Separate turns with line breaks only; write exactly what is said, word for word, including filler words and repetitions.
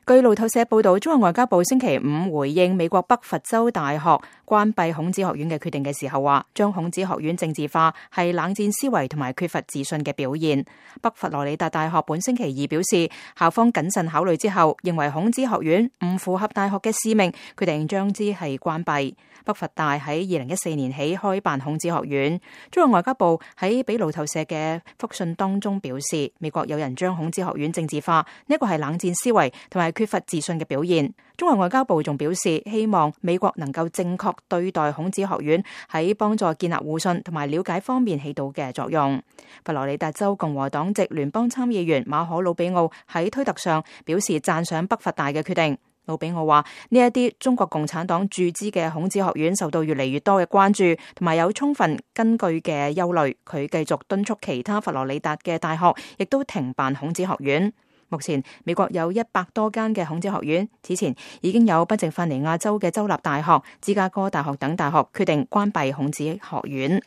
據路透社報道，中國外交部星期五回應美國北佛州大學關閉孔子學院嘅決定嘅時候話，將孔子學院政治化係冷戰思維同埋缺乏自信嘅表現。北佛羅里達大學本星期二表示，校方謹慎考慮之後，認為孔子學院唔符合大學嘅使命，決定將之係關閉。北佛大喺二零一四年起開辦孔子學院。中國外交部喺俾路透社嘅覆信當中表示，美國有人將孔子學院政治化，呢個係冷戰思維同埋缺乏自信嘅表現。中國外交部仲表示，希望美國能夠正確對待孔子學院喺幫助建立互信同埋了解方面起到嘅作用。佛羅里達州共和黨籍聯邦參議員馬可魯比奧喺推特上表示讚賞北佛大嘅決定。魯比奧話：呢一啲中國共產黨注資嘅孔子學院受到越嚟越多嘅關注，同埋有充分根據嘅憂慮。佢繼續敦促其他佛羅里達嘅大學亦都停辦孔子學院。目前美國有一百多間嘅孔子學院，此前已經有賓夕法尼亞州嘅州立大學、芝加哥大學等大學決定關閉孔子學院。